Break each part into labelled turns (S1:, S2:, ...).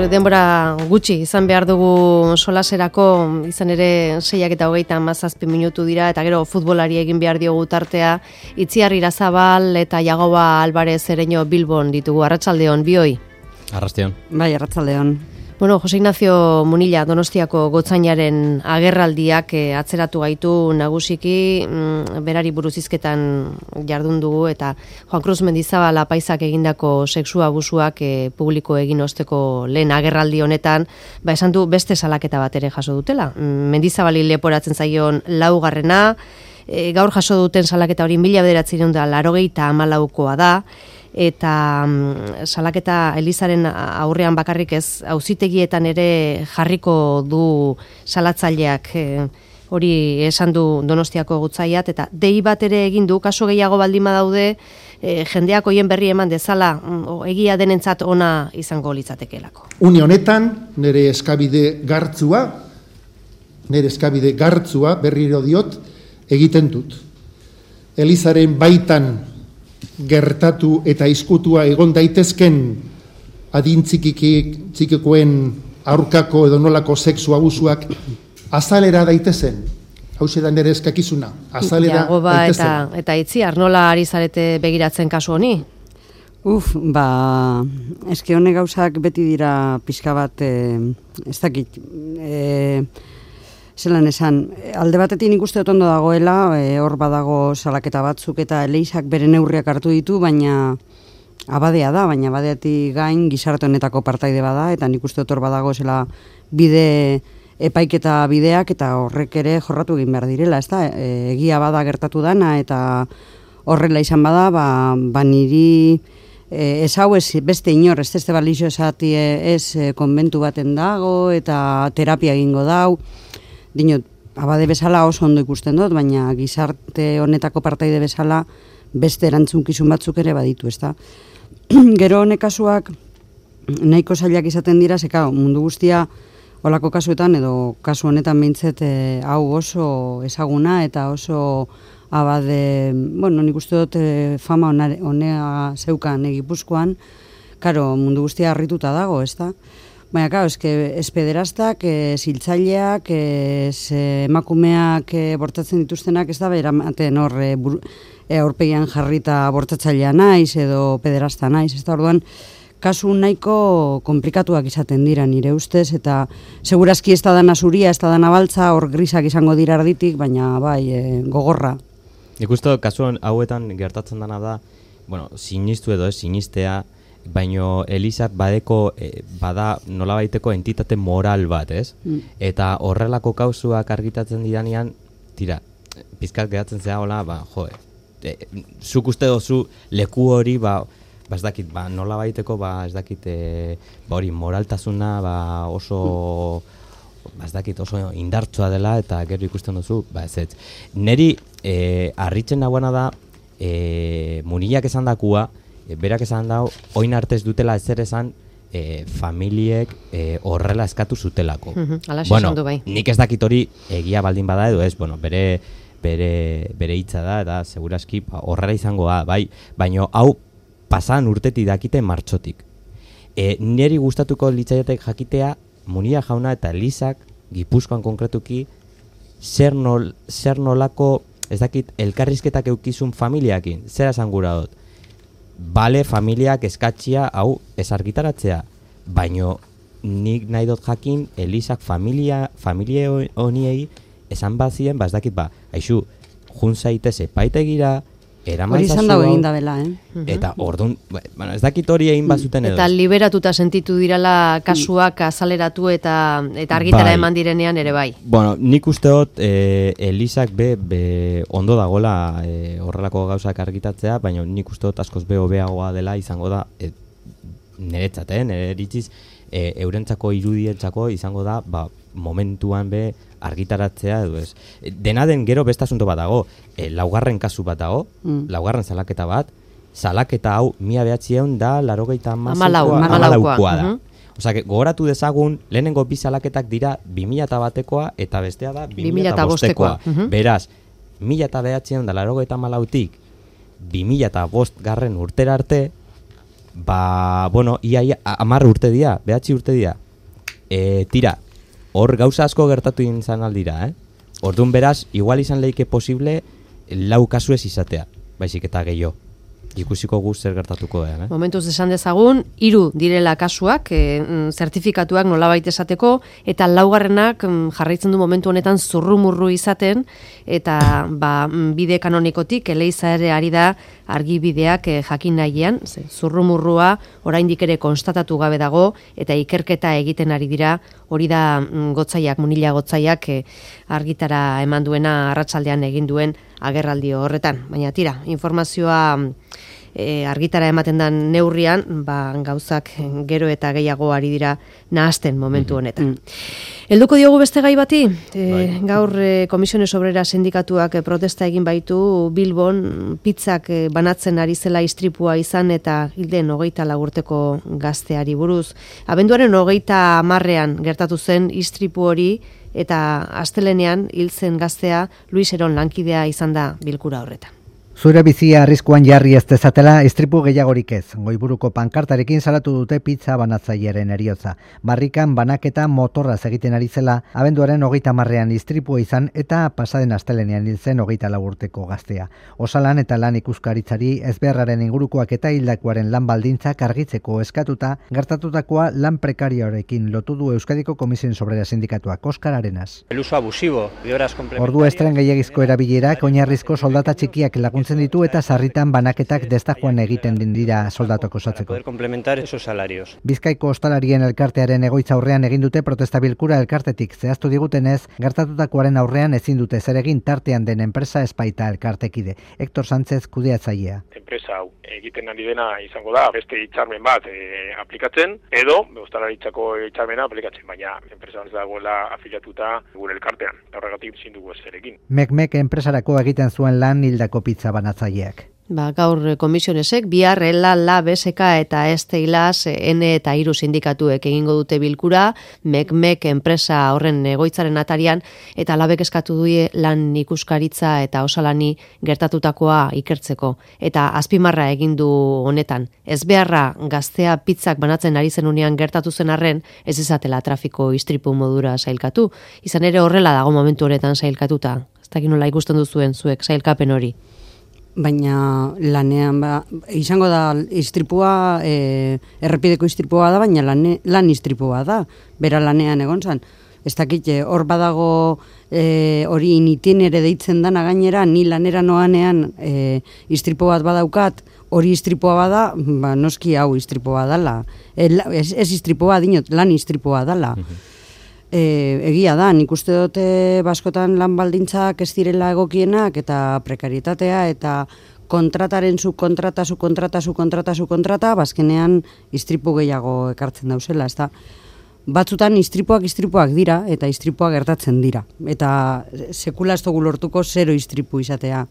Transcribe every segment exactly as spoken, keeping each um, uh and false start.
S1: denbora gutxi izan behar dugu solaserako, izan ere seiak eta hogeita hamazazpi minutu dira, eta gero futbolari egin behar diogu tartea. Itziar Irazabal eta Jagoba Alvarez Ereño Bilbon ditugu. Arratsaldeon, bioi.
S2: Arratsaldeon.
S3: Bai, arratsaldeon.
S1: Bueno, Jose Ignacio Munilla Donostiako gotzainaren agerraldiak eh, atzeratu gaitu nagusiki, mm, berari buruz hizketan jardun dugu, eta Juan Cruz Mendizabal apaisak egindako sexu abusuak eh, publiko egin osteko lehen agerraldi honetan, ba esan du beste salaketa bat ere jaso dutela. Mm, Mendizabali leporatzen zaion laugarrena, eh, gaur jaso duten salaketa hori mila bederatziehun eta laurogeita hamalaukoa da, eta um, salaketa Elizaren aurrean bakarrik ez, auzitegietan ere jarriko du salatzaileak, e, hori esan du Donostiako gotzaiat, eta dei bat ere egin du, kaso gehiago baldin badaude, e, jendeak hoien berri eman dezala, o, egia denentzat ona izango litzatekeelako.
S4: Une honetan, nire eskabide gartzua, nire eskabide gartzua, berriro diot, egiten dut. Elizaren baitan gertatu eta izkutua egon daitezken adintzikikoen aurkako edo nolako sexu abusuak azalera daitezen. Hauxe da nire eskakizuna. Azalera
S1: Jagoba
S4: daitezen.
S1: Eta, eta Itziar, nola ari zarete begiratzen kasu honi?
S3: Uf, ba, eske honek gauzak beti dira pixka bat, eh, ez dakit, eh, zelan esan, alde batetik nik uste dut ondo dagoela, e, hor badago salaketa batzuk eta Elizak bere neurriak hartu ditu, baina abadea da, baina abadeatik gain gizarte honetako partaide bada, eta nik uste dut hor badago zela bide epaiketa bideak, eta horrek ere jorratu egin behar direla, ez da, e, egia bada gertatu dana, eta horrela izan bada, ba, ba niri e, ez hau ez beste inor, ez este balixo esati ez e, konbentu baten dago, eta terapia egingo dau, dinot, abade bezala oso ondo ikusten dut, baina gizarte honetako partaide bezala beste erantzunkizun batzuk ere baditu, ezta. Gero honek kasuak nahiko zailak izaten dira, zeka mundu guztia olako kasuetan, edo kasu honetan behintzet e, hau oso ezaguna eta oso abade, bueno, nik uste dut e, fama honea zeukan Gipuzkoan, karo, mundu guztia harrituta dago, ezta. Baina, claro, eske espederastak, e, ziltzaileak, ez e, emakumeak e, bortatzen dituztenak, ez da, beramaten hor e, e, aurpegian jarrita bortatzailea naiz edo pederasta naiz, ez da, orduan, kasu nahiko komplikatuak izaten dira nire ustez, eta segurazki ez da dana zuria, ez da dana baltza, hor grisak izango dira arditik, baina bai, e, gogorra.
S2: Ikustu, kasu hauetan gertatzen dana da, bueno, sinistu edo ez sinistea, baino Elizak badeko e, bada nolabaiteko entitate moral bat, ez? Mm. Eta horrelako kausuak argitatzen didanean, tira, pizkat geratzen zea hola, ba, jo, e, zuk uste dozu leku hori, ba, ba ez dakit, ba, nolabaiteko, ba, ez dakit, e, ba hori, moraltasuna, ba, oso, mm. ba, ez dakit, oso indartsua dela, eta gero ikusten duzu, ba, ez ez. Neri, e, harritzen nagoena da, e, Munillak esan dakua, E, berak esan dau, oin artez dutela ezer esan e, familiek e, horrela eskatu zutelako.
S1: Hala
S2: bueno,
S1: esan du bai.
S2: Nik ez dakit hori egia baldin bada edo ez, bueno, bere, bere, bere hitza da, eta seguraski ba, horrela izango da, bai, baino hau pasan urtetik dakite martxotik. E, niri gustatuko litzaiotek jakitea, Munilla jauna eta Elizak, Gipuzkoan konkretuki, zer, nol, zer nolako, ez dakit, elkarrizketak eukizun familiakin, zer esan gura dut. Bale, familiak eskatxia hau ez argitaratzea, baino nik nahi dut jakin Elizak familia, familia honiei esan bazien, ba ez dakit ba, aixu, jun zaitez epaitegira,
S3: hori izan dago egin da bela, eh?
S2: Eta orduan, bueno, ez dakit hori egin bazuten edo.
S1: Eta liberatuta sentitu dirala kasuak azaleratu eta eta argitara
S2: bai.
S1: Eman direnean ere bai.
S2: Bueno, nik uste dut e, Elizak be, be ondo dagoela e, horrelako gauzak argitatzea, baina nik uste dut askoz be hobeagoa dela izango da, e, niretzat, eh, nire eritziz, e, eurentzako irudientzako izango da, ba, momentuan be argitaratzea edo ez. Dena den gero beste asunto bat dago, e, laugarren kasu bat dago, mm. laugarren salaketa bat, salaketa hau mila behatziehun da laurogeita hamalaukoa da. Osea, gogoratu dezagun, lehenengo bi salaketak dira bi mila batekoa eta bestea da bi mila bostekoa. Beraz, mila behatziehun da laurogeita hamalautik bi mila bost garren urtera arte, Ba, bueno, ia amar urte dia, behatzi urte dia. E, tira, hor gauza asko gertatu izan aldira, eh? Orduan beraz, igual izan leike posible lau kasu ez izatea, baizik eta gehiago. Ikusiko guz zer gertatuko da, eh?
S1: Momentuz esan dezagun, hiru direla kasuak, e, zertifikatuak nolabait esateko, eta laugarrenak jarraitzen du momentu honetan zurrumurru izaten, eta ba, bide kanonikotik eleiza ere ari da argibideak e, jakin nahian, ze, zurrumurrua oraindik ere konstatatu gabe dago, eta ikerketa egiten ari dira, hori da mm, gotzaiak, munila gotzaiak e, argitara eman duena arratsaldean egin duen agerraldi horretan. Baina tira, informazioa e, argitara ematen den neurrian, ba, gauzak gero eta gehiago ari dira nahasten momentu honetan. Helduko diogu beste gai bati, e, gaur e, Komisiones Obrera sindikatuak e, protesta egin baitu Bilbon pizzak e, banatzen ari zela istripua izan eta hilden hogeita lau urteko gazteari buruz. Abenduaren hogeita hamarrean gertatu zen istripu hori, eta astelenean hil zen gaztea Luis Eron lankidea izan da bilkura horretan.
S5: Zure bizia arriskuan jarri ez dezatela istripu gehiagorik ez. Goiburuko pankartarekin salatu dute pizza banatzailearen heriotza. Barrikan banaketa motorraz egiten ari zela, abenduaren hogeita hamarrean istripua izan eta pasaden astelenean hil zen hogeita lau urteko gaztea. Osalan eta lan ikuskaritzari ezbeharraren ingurukoak eta hildakoaren lan baldintzak argitzeko eskatuta, gertatutakoa lan prekarioarekin lotu du Euskadiko Komisiones Obrera sindikatuak. Oskar Arenas.
S6: El uso abusivo de horas complementarias.
S5: Ordu estren gehiagizko erabilerak oinarrizko soldata txikiak laguntzen ditu eta sarritan banaketak destajoan egiten dira soldatok osatzeko.
S6: Poder complementar esos salarios.
S5: Bizkaiko ostalarien elkartearen egoitza aurrean egin dute protesta bilkura elkartetik zehaztu digutenez, gertatutakoaren aurrean ezin dute zer egin tartean den enpresa espaita elkartekide. Hector Sánchez kudeatzailea.
S7: Enpresa hau egiten ari dena izango da beste hitzarmen bat e, aplikatzen edo ostalaritzako hitzarmena aplikatzen, baina enpresa ez dagoela afiliatuta gure elkartean. Horregatik ezin dugu ezerekin.
S5: Mek-mek enpresarako egiten zuen lan hildako pizza banatzaileak.
S1: Ba, gaur komisionesek, bihar, ela, la, B S K eta Esteilaz, N eta hiru sindikatuek egingo dute bilkura, mek-mek enpresa horren egoitzaren atarian, eta labek eskatu due lan ikuskaritza eta osalani gertatutakoa ikertzeko. Eta azpimarra egin du honetan. Ez beharra gaztea pizzak banatzen ari zenunean gertatu zen arren, ez izatela trafiko istripu modura sailkatu. Izan ere horrela dago momentu honetan sailkatuta. Ez dakit nola ikusten duzuen zuek sailkapen hori.
S3: Baina lanean, ba, izango da istripua, e, errepideko istripua da, baina lan, lan istripua da, bera lanean egon zan. Ez dakit, hor badago e, hori initinere deitzen dana gainera, ni lanera noanean e, istripu bat badaukat, hori istripua bada, ba, noski hau istripua dala. E, ez, ez istripua dinot, lan istripua dala. E, egia da, nik uste dute baskotan lan baldintzak ez direla egokienak eta prekarietatea eta kontrataren zu kontrata, zu kontrata, zu kontrata, zu kontrata, bazkenean istripu gehiago ekartzen dauzela, ez da. Batzutan istripuak istripuak dira eta istripuak gertatzen dira. Eta sekula ez dugu lortuko zero istripu izatea.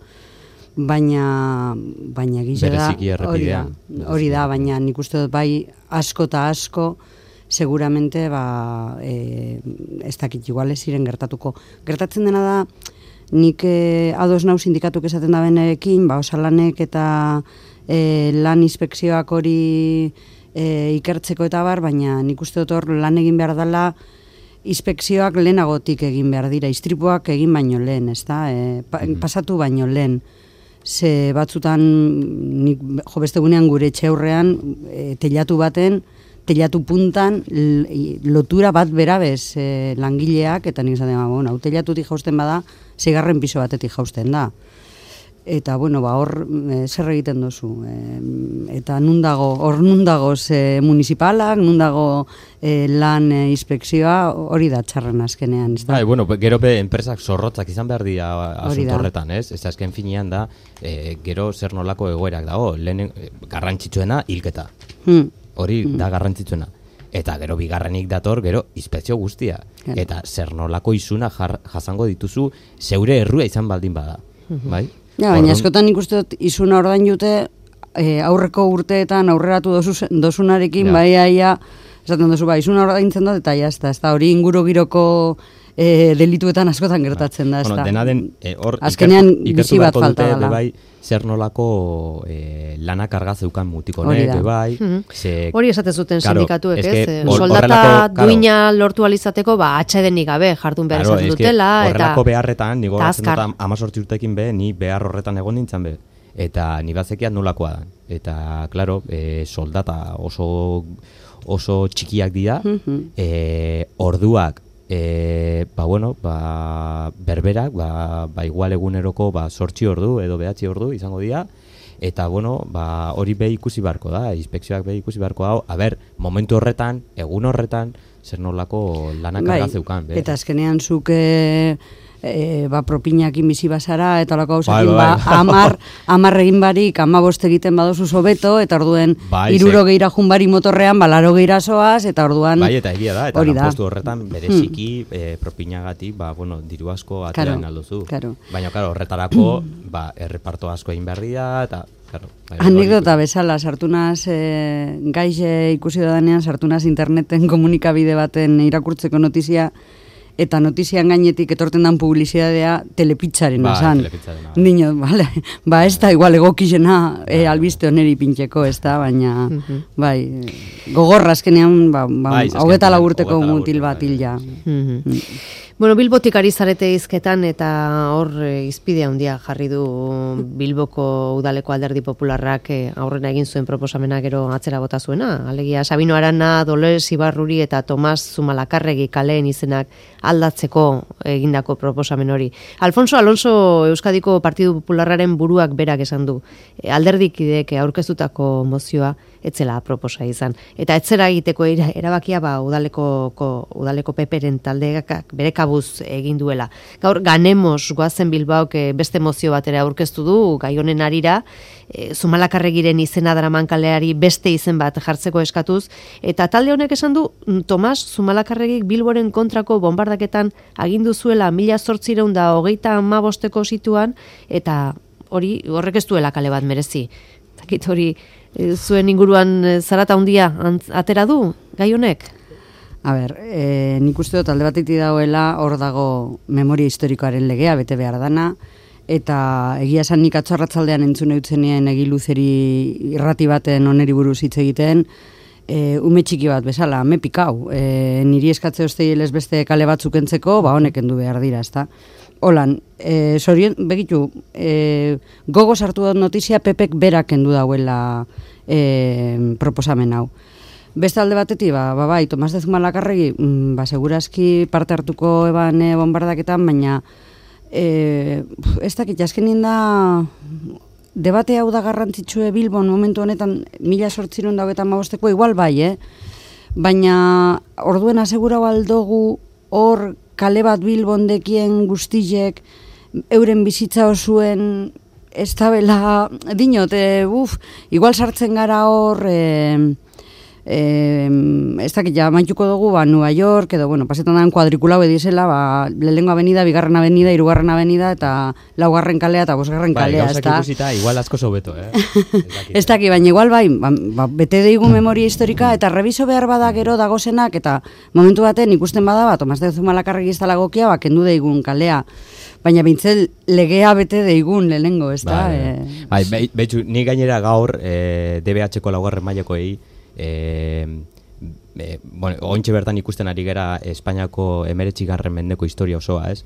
S3: Baina, baina gisa da, hori da, hori da, baina nik uste dut bai asko eta asko, seguramente ba, e, ez dakit igual ez ziren gertatuko. Gertatzen dena da, nik e, ados nau sindikatuk esaten da benerekin, ba, osalanek eta e, lan inspekzioak hori e, ikertzeko eta bar, baina nik uste dut hor lan egin behar dela, inspekzioak lehenagotik egin behar dira, istripuak egin baino lehen, ez da, e, pa, pasatu baino lehen. Ze batzutan, nik, jo beste gunean gure etxeurrean, e, telatu baten, telatu puntan lotura bat berabez e, langileak, eta nik esaten, bueno, hau telatutik jausten bada, seigarren piso batetik jausten da. Eta, bueno, ba, hor e, zer egiten duzu. E, eta nundago, hor nundago ze municipalak, nundago e, lan e, inspekzioa, hori da txarren azkenean. Ez da?
S2: Bai, bueno, gero be enpresak zorrotzak izan behar dira asunto horretan, ez? Ez azken finean da, e, gero zer nolako egoerak dago, lehen e, garrantzitsuena hilketa. Hmm. Hori da garrantzitsuena. Eta gero bigarrenik dator, gero inspekzio guztia. Claro. Eta zer nolako izuna jar, jasango dituzu zeure errua izan baldin bada. Uh-huh. Bai?
S3: Ja, baina askotan ikusten dut izuna ordain jute e, aurreko urteetan aurreratu dozu, dozunarekin, ja. Bai, aia, esaten duzu, bai, izuna ordaintzen dut, eta jazta, ez da hori inguru giroko e, delituetan askotan gertatzen da, ez
S2: bueno,
S3: da.
S2: Dena den, e, hor,
S3: azkenean
S2: ikertu
S3: bizi bat
S2: beharko
S3: falta
S2: dute,
S3: dela.
S2: Bebai, zer nolako e, lanak arga zeukan mutiko
S3: Hori
S2: honek,
S3: da.
S2: bebai.
S1: Mhm.
S2: ze-
S1: Hori esaten zuten
S2: Claro,
S1: sindikatuek,
S2: es
S1: ez?
S2: que
S1: Eh,
S2: hor-
S1: Soldata
S2: horrelako, claro.
S1: duina lortu alizateko, ba, atsedenik gabe jardun behar
S2: Claro,
S1: izaten
S2: es que
S1: dutela, eta
S2: horrelako beharretan, nigo
S1: eta
S2: gatzen dut
S1: azkar.
S2: amazortzi urtekin be, ni behar horretan egon nintzen be. Eta ni bazekiat nolakoa da. Eta, claro, e, soldata oso oso txikiak dira,
S3: Mhm.
S2: e, orduak, e, ba, bueno, ba, berberak, ba, ba, igual eguneroko, ba, sortzi ordu edo behatzi ordu izango dira, eta, bueno, ba, hori be ikusi beharko da, inspekzioak be ikusi beharko da, a ber, momentu horretan, egun horretan, zer nolako lanak
S3: Bai,
S2: arga zeukan, be.
S3: eta azkenean zuk e, e, ba, propinakin bizi bazara, eta olako hausekin,
S2: Bai, bai,
S3: ba,
S2: bai.
S3: amar, amar egin barik, amabost egiten badozu hobeto, eta orduen
S2: Bai,
S3: iruro
S2: ze-
S3: geira junbari motorrean, balaro geira zoaz, eta orduan...
S2: Bai, eta egia da, eta
S3: hori da.
S2: lanpostu horretan bereziki eh, propinagatik, ba, bueno, diru asko aterain
S3: Claro,
S2: alduzu.
S3: claro.
S2: Baina, claro, horretarako, ba, erreparto asko egin behar dira, eta, claro. bai,
S3: Anekdota
S2: hori-
S3: bezala, sartunaz, e, gaixe ikusi danean, sartunaz interneten komunikabide baten irakurtzeko notizia, eta notizian gainetik etorten dan publizidadea telepitzaren
S2: Bai,
S3: esan.
S2: telepitzarena, bai.
S3: Dino, vale, ba ez da igual egokizena e, albiste oneri pintxeko, ez da, baina, bai, gogorra azkenean, ba, ba,
S2: Bai,
S3: hau eta
S2: azkenean,
S3: laburteko
S2: hogeita lau
S3: mutil
S2: urte,
S3: bat
S2: bai.
S3: hil ja.
S1: Mhm. Bueno, Bilbotik ari zarete hizketan eta hor e, izpide handia jarri du Bilboko udaleko alderdi popularrak e, aurrena egin zuen proposamena gero atzera bota zuena. Alegia Sabino Arana, Dolores Ibarruri eta Tomas Zumalakarregi kaleen izenak aldatzeko egindako proposamen hori. Alfonso Alonso Euskadiko Partidu Popularraren buruak berak esan du. E, alderdikideek aurkeztutako mozioa etzela proposa izan. Eta etzera egiteko era- erabakia ba udaleko ko, udaleko peperen taldeak bere kabuz egin duela. Gaur ganemos goazen Bilbaok eh, beste mozio batera aurkeztu du gai honen arira, e, Zumalakarregiren izena daraman kaleari beste izen bat jartzeko eskatuz, eta talde honek esan du mm, Tomas Zumalakarregik Bilboren kontrako bombardaketan agindu zuela mila zortziehun eta hogeita hamabosteko situan, eta hori horrek ez duela kale bat merezi. Zakit hori e, zuen inguruan e, zarata handia antz- atera du gai honek?
S3: A ber, e, nik uste dut alde batetik dagoela hor dago memoria historikoaren legea, bete behar dana, eta egia esan nik atzo arratzaldean entzune utzenien egiluzeri irrati baten oneri buruz hitz egiten, e, ume txiki bat bezala, me pikau, e, niri eskatze osteielez beste kale batzuk entzeko, ba honek endu behar dira, ezta? Holan, e, sorien, begitu, e, gogo sartu dut notizia Pepek berak kendu dauela e, proposamen hau. Beste alde batetik, ba, ba, bai, Tomas de Zumalakarregi, mm, ba, segurazki parte hartuko eban e, bombardaketan, baina e, ez dakit, azkenien da debate hau da garrantzitsue Bilbon momentu honetan mila sortziron daugetan magosteko, igual bai, eh? Baina orduen asegurau aldogu hor kale bat Bilbon dekien guztizek euren bizitza osuen ez tabela, dinot, e, uf, igual sartzen gara hor... E, Eh, ez dakit ja maituko dugu ba, Nueva York edo bueno, pasetan dan kuadrikulau edizela ba, lehengo avenida, bigarren avenida, hirugarren avenida eta laugarren kalea eta bosgarren
S2: Bai,
S3: kalea,
S2: gauzak
S3: ezta?
S2: ikusita, igual asko sobeto, eh? Ez dakit,
S3: Ez dakit, baina igual bai, ba, ba, bete deigu memoria historika eta reviso behar bada gero dagozenak eta momentu baten ikusten bada ba, Tomas de Zumalakarregi ez dela gokia, ba, kendu deigun kalea. Baina bintzel legea bete deigun lehenengo, ez da?
S2: Bai,
S3: Eh,
S2: bai, bai, betxu, ni gainera gaur e, D B H-ko laugarren mailakoei e, e, bueno, ointxe bertan ikusten ari gera Espainiako emeretzigarren mendeko historia osoa, ez?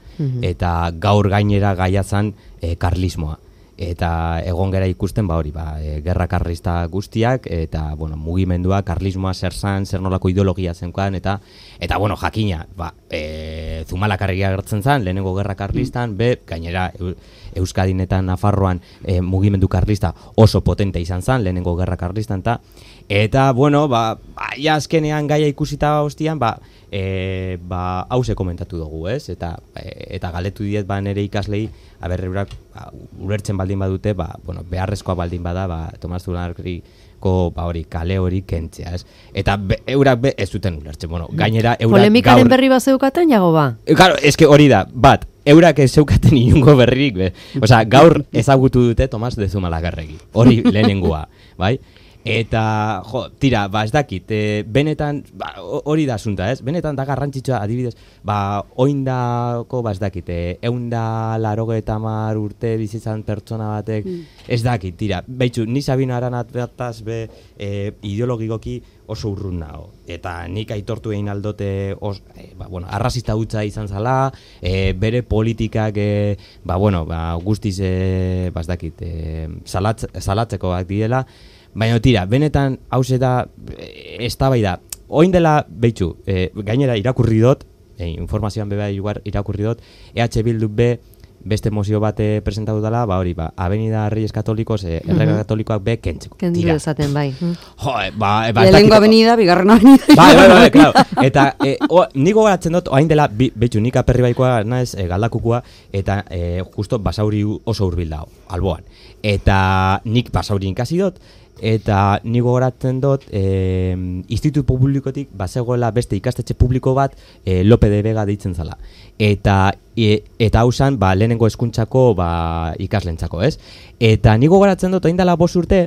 S2: Eta gaur gainera gaia zan e, karlismoa. Eta egon gera ikusten ba hori, ba, e, gerra karlista guztiak eta bueno, mugimendua, karlismoa zer zan, zer nolako ideologia zenkoan eta eta bueno, jakina, ba, e, Zumalakarregia agertzen zan, lehenengo gerra karlistan, be, gainera Eu- Euskadin eta Nafarroan e, mugimendu karlista oso potente izan zan, lehenengo gerra karlistan eta eta bueno, ba, ba ja azkenean gaia ikusita hostian, ba E, ba, hause komentatu dugu, ez? Eta, e, eta galetu diet ba nere ikaslei, aber eurak ba, ulertzen baldin badute, ba, bueno, beharrezkoa baldin bada, ba, Tomas Zumalakarregiko ba hori, kale hori kentzea, ez? Eta be, eurak be, ez duten ulertzen, bueno, gainera eurak
S1: Polemikaren
S2: gaur...
S1: berri bat zeukaten, jago ba?
S2: E, Claro, eske hori da, bat, eurak ez zeukaten inungo berririk, be. Osea, gaur ezagutu dute Tomas de Zumalakarregi, hori lehenengoa, bai? Eta, jo, tira, ba, ez dakit, e, benetan, ba, hori da asunta, ez? Benetan da garrantzitsua, adibidez, ba, oindako, ba, ez dakit, e, eunda laroge eta mar urte bizitzan pertsona batek, mm. ez dakit, tira, behitzu, ni Sabino Aranat bertaz be e, ideologikoki oso urrun nago. Eta nik aitortu egin aldote, os, e, ba, bueno, arrazista hutsa izan zala, e, bere politikak, e, ba, bueno, ba, guztiz, e, ba, ez dakit, e, salatz, salatzekoak direla, baina tira, benetan hauze da, ez da bai da, oin dela, behitxu, e, gainera irakurri dut, e, informazioan beba irakurri dut, E H Bildu be, beste mozio bate presentatu dela, ba hori, ba, Avenida Reyes Katolikos, e, errega mm-hmm. katolikoak be, kentzeko.
S1: Kendu esaten, bai.
S2: Jo, e, ba, ba,
S3: Lehengo avenida, bigarren avenida.
S2: Bai, bai, bai, claro. Eta, e, o, niko garatzen dut, oain dela, behitxu, nik aperri baikoa, naiz, e, galdakukua, eta e, justo basauri oso hurbil dago, alboan. Eta nik basauri inkasi dut, eta nigo goratzen dut e, institutu publikotik bazegoela beste ikastetxe publiko bat e, Lope de Vega deitzen zala. Eta e, eta hausan ba, lehenengo hezkuntzako ba, ikaslentzako, ez? Eta nigo goratzen dut orain dela bost urte,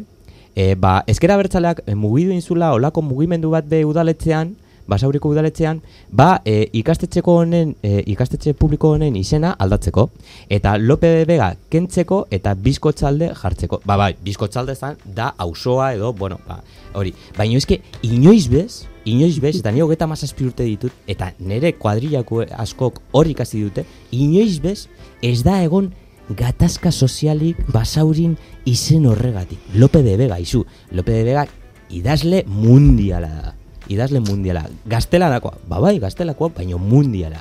S2: e, ba, ezker abertzaleak e, mugidu inzula olako mugimendu bat be udaletxean, Basauriko udaletxean, ba e, ikastetxeko honen, e, ikastetxe publiko honen izena aldatzeko. Eta Lope de Vega kentzeko eta Bizkotxalde jartzeko. Ba, bai, Bizkotxalde zan da auzoa edo, bueno, ba, hori. Baina eske, inoiz bez, inoiz bez, eta nire hogeta mazazpi urte ditut, eta nire kuadrillako askok hori ikasi dute, inoiz bez, ez da egon gatazka sozialik Basaurin izen horregatik. Lope de Vega, izu. Lope de Vega idazle mundiala da. Idazle mundiala, gaztelanakoa, ba bai, gaztelakoa, baina mundiala.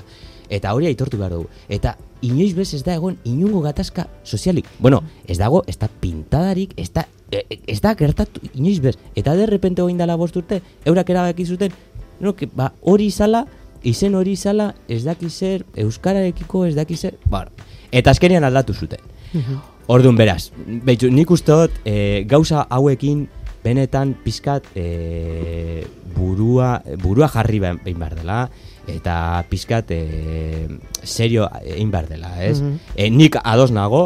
S2: Eta hori aitortu behar dugu. Eta inoiz bez ez da egon inungo gatazka sozialik. Bueno, ez dago, ez da pintadarik, ez da, ez da gertatu inoiz bez. Eta derrepente hoin dala bost urte, eurak erabaki zuten, no, que, ba, hori izala, izen hori izala, ez daki zer, euskararekiko ez daki zer, bar. Eta azkenean aldatu zuten. Orduan beraz, behitzu, nik uste dut, e, gauza hauekin, benetan pizkat e, burua, burua jarri behin behar dela, eta pizkat e, serio egin behar dela, ez? Mm-hmm. E, nik ados nago,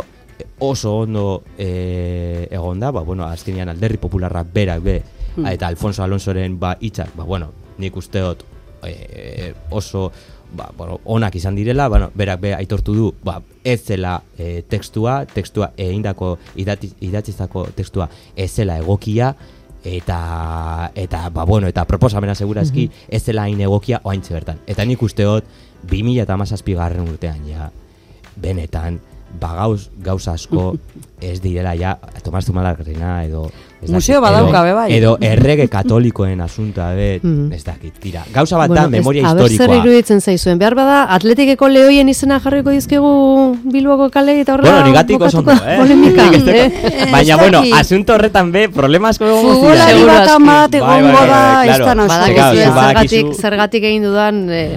S2: oso ondo e, egon da, ba, bueno, azkenean Alderdi Popularra berak be, mm. eta Alfonso Alonsoren ba, hitzak, ba, bueno, nik usteot e, oso ba, bueno, onak izan direla, bueno, berak be aitortu du, ba, ez zela e, tekstua, tekstua egindako idatzizako tekstua ez zela egokia, eta eta ba bueno, eta proposamena segurazki mm-hmm. ez zela hain egokia oaintze bertan. Eta nik usteot bi mila hamazazpi garren urtean ja benetan ba gauz, gauza asko ez direla ja Tomas Zumarragena edo
S3: museo badauka be bai.
S2: Edo errege katolikoen asunta be, mm. ez dakit, tira. Gauza bat da, bueno, memoria
S1: ez,
S2: historikoa.
S1: Aber zer iruditzen zaizuen, behar bada Atletikeko lehoien izena jarriko dizkegu Bilboko kale eta horrela
S2: bueno, nigatiko zondo, eh?
S1: Polemika.
S2: eh? Baina, bueno, asunto horretan be, problemas como
S3: futbolari bat amat egongo da, ez da
S1: nasko. Zergatik, zergatik egin dudan eh,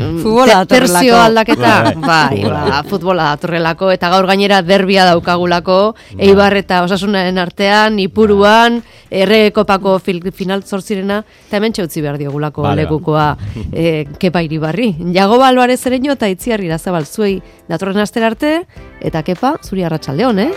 S1: terzio aldaketa, bai, ba, futbola datorrelako, eta gaur gainera derbia daukagulako, Eibar eta Osasunaren artean, Ipuruan, Errekopako final zortzirena, eta hemen txautzi behar diogulako vale, lekukoa e, Kepa Iribarri. Jagoba Alvarez ereño eta Itziar Irazabal zuei datorren astera arte, eta Kepa, zuri arratsaldeon, eh?